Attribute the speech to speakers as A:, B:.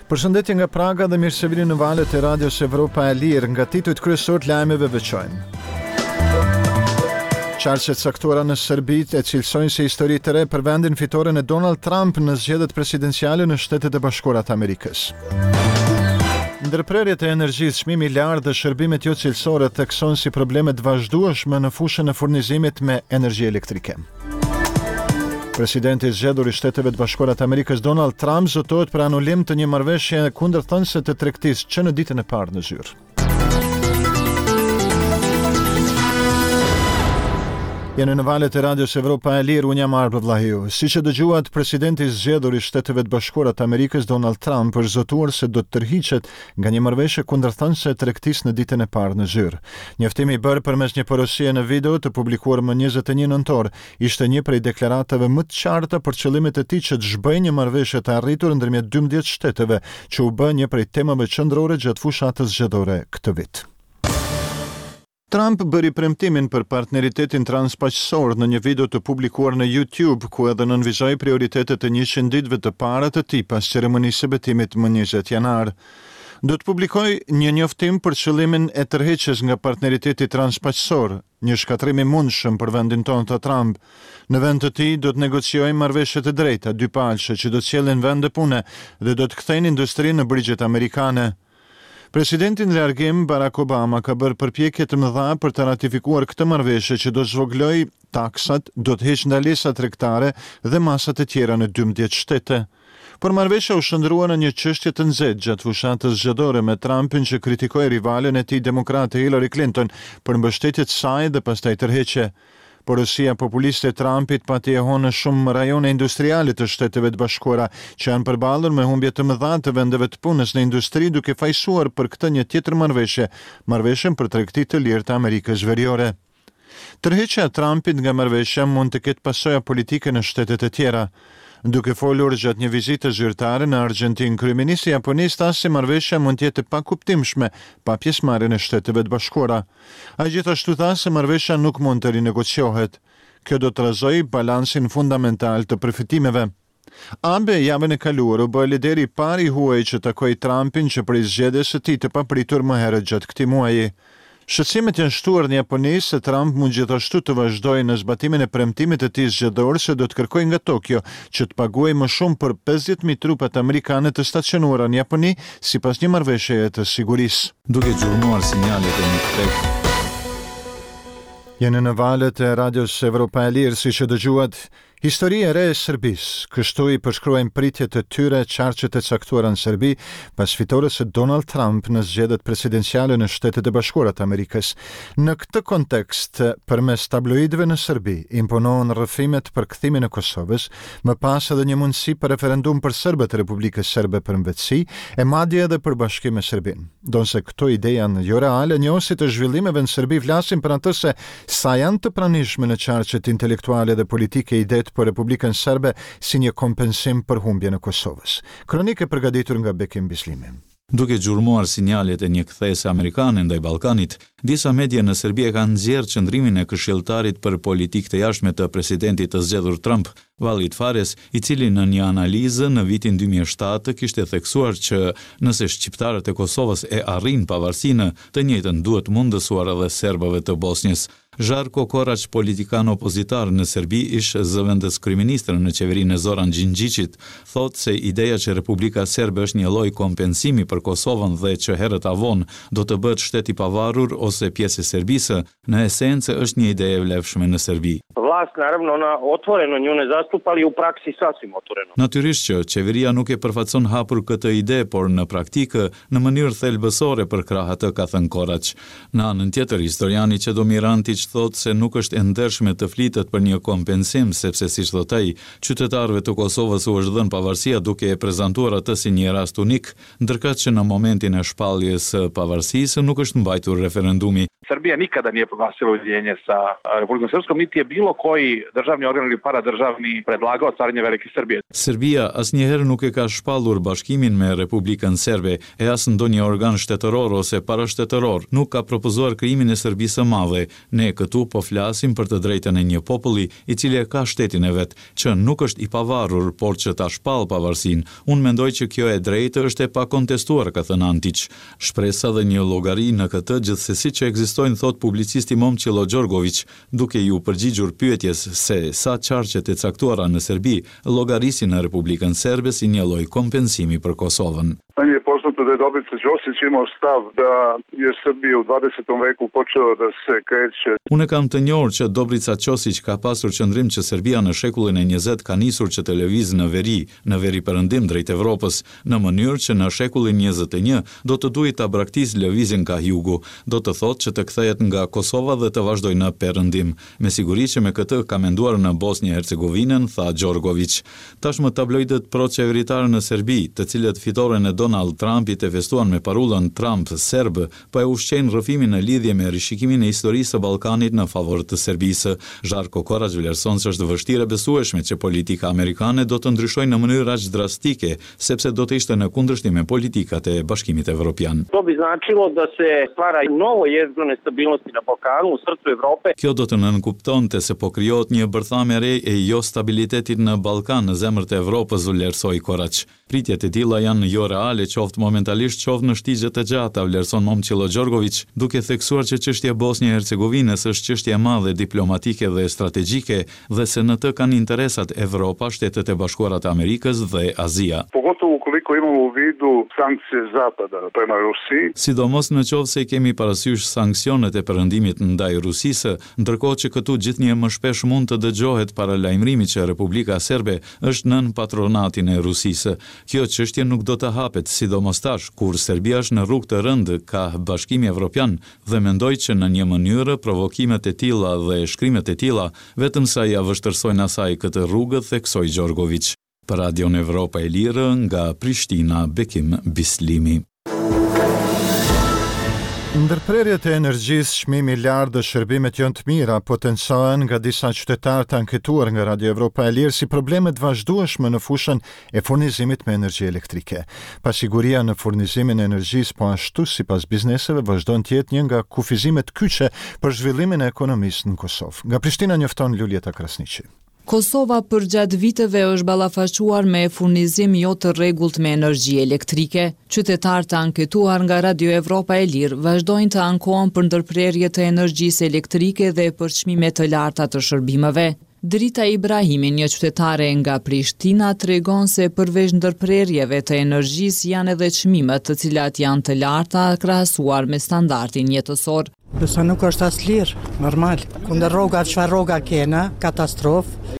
A: Përshëndetje nga Praga dhe mirë se vini në valët e Radios Evropa e Lirë. Nga titujt kryesorë të lajmeve veçojmë. Qarqe të caktuara në Serbi e cilësojnë si histori të re për vendin fitoren e Donald Trump në zgjedhjet presidenciale në Shtetet e Bashkuara të Amerikës. Ndërprerjet e energjisë, çmimi i lartë dhe shërbimet jo cilësore theksohen si probleme të vazhdueshme në fushën e furnizimit me energji elektrike. Presidenti i zgjedhur i Shteteve të Bashkuara të Amerikës Donald Trump zotohet për anulim të një marrëveshje kundërthënëse të tregtisë që në ditën e parë në zyrë. Jeni në valët e Radios Evropa e Lirë, unë jam Arbër Vllahiu. Siç e dëgjuat, presidenti i zgjedhur i Shteteve të Bashkuara të Amerikës Donald Trump është zotuar se do të tërhiqet nga një marrëveshje kundërthënëse e tregtisë në ditën e parë në zyrë. Njoftimi i bërë përmes një porosie në video të publikuar më 21 nëntor, ishte një prej deklaratave më të qarta për qëllimet e tij që të zhbëjë një marrëveshje të arritur ndërmjet 12 shteteve, që u bë një prej temave qendrore gjatë fushatës zgjedhore këtë vit. Trump bëri premtimin për partneritetin transpaqësor në një video të publikuar në YouTube, ku edhe nënvizoi prioritetet e 100 ditëve të para të tij pas ceremonisë së betimit më 20 janar. Do të publikoj një njoftim për qëllimin e tërheqjes nga partneriteti transpaqësor, Një shkatërrim i mundshëm për vendin tonë, tha Trump. Në vend të tij, do të negociojmë marrëveshje të drejta, dypalëshe, që do të sjellin vende pune dhe do të kthejnë industrinë në brigjet amerikane. Presidenti në largim, Barack Obama, ka bërë përpjekje të mëdha për të ratifikuar këtë marrëveshje që do të zvogëlojë taksat, do të heqë ndalesat tregtare dhe masat e tjera në 12 shtete. Por marrëveshja u shndërrua në një çështje të nxehtë gjatë fushatës zgjedhore me Trumpin që kritikoi rivalen e tij demokrate Hillary Clinton për mbështetje të saj dhe pastaj tërheqje. Porosia populiste e Trumpit pati jehonë në shumë rajone industriale të Shteteve të Bashkuara, që janë përballur me humbje të mëdha të vendeve të punës në industri duke fajësuar për këtë një tjetër marrëveshje, marrëveshjen për tregti të lirë të Amerikës Veriore. Tërheqja e Trumpit nga marrëveshja mund të ketë pasoja politike në shtetet e tjera. Duke folur gjatë një vizite zyrtare në Argjentinë, kryeministri i Japonisë tha se marrëveshja mund të jetë e pakuptimshme pa pjesëmarrjen e Shteteve të Bashkuara. Ai gjithashtu tha se marrëveshja nuk mund të rinegociohet. Kjo do të trazojë balansin fundamental të përfitimeve. Abe javën e kaluar u bë lideri i parë i huaj që takoi Trumpin që prej zgjedhjes së tij të papritur më herët gjatë këtij muaji. Shqetësimet janë shtuar në Japoni se Trump mund gjithashtu të vazhdojë në zbatimin e premtimit të tij zgjedhor se do të kërkojë nga Tokio që të paguajë më shumë për 50.000 trupat amerikane të stacionuara në Japoni sipas një marrëveshjeje të sigurisë.
B: Duke gjurmuar sinjalet e një kthese.
A: Jeni në valët e Radios Evropa e Lirë, siç e dëgjuat, Histori e re e Serbisë, kështu i përshkruajnë pritjet e tyre qarqet e caktuara në Serbi pas fitores së Donald Trump në zgjedhjet presidenciale në Shtetet e Bashkuara të Amerikës. Në këtë kontekst, përmes tabloidëve në Serbi imponohen rrëfimet për kthimin e Kosovës, më pas edhe një mundësi për referendum për serbët e Republikës Serbe për mëvetësi, e madje edhe për bashkim me Serbinë. Ndonëse këto ide janë joreale, njohësit e zhvillimeve në Serbi flasin për atë se sa janë të pranishme në qarqet intelektuale dhe politike idetë për Republikën Serbe si një kompensim për humbjen e Kosovës. Kronikë e përgatitur nga Bekim Bislimi.
B: Duke gjurmuar sinjalet e një kthese amerikane ndaj Ballkanit, disa media në Serbi e kanë nxjerrë qëndrimin e këshilltarit për politikë të jashtme të presidentit të zgjedhur Trump, Walid Phares, i cili në një analizë në vitin 2007 kishte theksuar që nëse shqiptarët e Kosovës e arrijnë pavarësinë, të njëjtën duhet mundësuar edhe serbëve të Bosnjës. Zharko Koraq, politikan opozitar në Serbi, ish zëvendëskryeministër në qeverinë e Zoran Gjingjiqit, thotë se ideja që Republika Serbe është një lloj kompensimi për Kosovën dhe që herët a vonë do të bëhet shtet i pavarur ose pjesë e Serbisë, në esencë është një ide e vlefshme në Serbi.
C: Vlast naravno ona otvoreno nju ne zastupa, ali u praksi sasvim otvoreno.
B: Natyrisht që qeveria nuk e përfaqëson hapur këtë ide, por në praktikë, në mënyrë thelbësore përkrah atë, ka thënë Koraq. Në anën tjetër, historiani Çedomir Antiq thotë se nuk është e ndershme të flitet për një kompensim, sepse siç thotë ai, qytetarëve të Kosovës u është dhënë pavarësia duke e prezantuar atë si një rast unik, ndërkaq që në momentin e shpalljes së pavarësisë nuk është mbajtur referendumi.
D: Srbija nikada nije proglasila ujedinjenje sa Republikom Srpskom, niti je bilo koji državni organ ili paradržavni predlagao stvaranje Velike Srbije.
B: Serbia asnjëherë nuk e ka shpallur bashkimin me Republikën Serbe, e as ndonjë organ shtetëror ose parashtetëror nuk ka propozuar krijimin e Serbisë së Madhe. Ne këtu po flasim për të drejtën e një populli, i cili e ka shtetin e vet, që nuk është i pavarur, por që ta shpallë pavarësinë. Unë mendoj që kjo e drejtë është e pakontestuar, ka thënë Antiq. Shpresa dhe një llogari në këtë gjithsesi që ekzistojnë, thotë publicisti Momçillo Gjorgoviq, duke iu përgjigjur pyetjes se sa qarqet e caktuara në Serbi llogarisin në Republikën Serbe si një lloj kompensimi për Kosovën.
E: Meni je poznato da je Dobrica Ćosić imao stav da je Srbija u 20. veku počela da se kreće.
B: Unë e kam të njohur që Dobrica Ćosić ka pasur qëndrim që Serbia në shekullin e njëzet ka nisur që të lëvizë në veri, në veriperëndim drejt Evropës, në mënyrë që në shekullin 21 do të duhej ta braktisë lëvizjen kah jugu, do të thotë që të kthehet nga Kosova dhe të vazhdojë në perëndim. Me siguri që me këtë ka menduar në Bosnjë e Hercegovinën, tha Gjorgoviq. Tashmë tabloidët pro-qeveritarë në Serbi, të cilët fitoren e Donald Trumpit e festuan me parullën Trump serb, po e ushqejnë rrëfimin në lidhje me rishikimin e historisë së Ballkanit në favor të Serbisë. Zharko Koraq vlerëson se është vështirë e besueshme që politika amerikane do të ndryshojë në mënyrë aq drastike, sepse do të ishte në kundërshtim me politikat e Bashkimit Evropian.
C: To bi značilo da se stvara novo jezgro nestabilnosti na Balkanu, u srcu Evrope.
B: Kjo do të nënkuptonte se po krijohet një bërthamë e re e jostabilitetit në Ballkan, në zemër të Evropës, vlerësoi Koraq. Pritjet e tilla janë joreale qoftë momentalisht qoftë në shtigje të gjata, vlerëson Momçillo Gjorgoviq, duke theksuar që çështja e Bosnjë e Hercegovinës është çështje e madhe diplomatike dhe strategjike dhe se në të kanë interesat Evropa, Shtetet e Bashkuara të Amerikës dhe Azia.
E: Pogotovo ukoliko imamo u vidu sankcije Zapada prema Rusiji.
B: Sidomos në qoftë se i kemi parasysh sanksionet e Perëndimit ndaj Rusisë, ndërkohë që këtu gjithnjë e më shpesh mund të dëgjohet paralajmërimi që Republika Serbe është nën patronatin e Rusisë. Kjo çështje nuk do të hapet, sidomos tash, kur Serbia është në rrugë të rëndë kah Bashkimi Evropian dhe mendoj që në një mënyrë provokimet e tilla dhe shkrimet e tilla vetëm sa ia vështirësojnë asaj këtë rrugë, theksoi Gjorgoviq. Për Radion Evropa e Lirë, nga Prishtina, Bekim Bislimi.
A: Ndërprerjet e energjisë, çmimi i lartë dhe shërbimet jo të mira potencohen nga disa qytetarë të anketuar nga Radio Evropa e Lirë si probleme të vazhdueshme në fushën e furnizimit me energji elektrike. Pasiguria në furnizimin e energjisë po ashtu sipas bizneseve vazhdon të jetë një nga kufizimet kyçe për zhvillimin e ekonomisë në Kosovë. Nga Prishtina njofton Luljeta Krasniqi.
F: Kosova përgjatë viteve është ballafaquar me furnizim jo të rregullt me energji elektrike. Qytetarë të anketuar nga Radio Evropa e Lirë vazhdojnë të ankohen për ndërprerje të energjisë elektrike dhe për çmime të larta të shërbimeve. Drita Ibrahimi, një qytetare nga Prishtina, tregon se përveç ndërprerjeve të energjisë janë edhe çmimet të cilat janë të larta krahasuar me standardin jetësor.
G: Nëse nuk është as lirë, normal. Kundër rroga, çfarë rroga kena, katastrofë.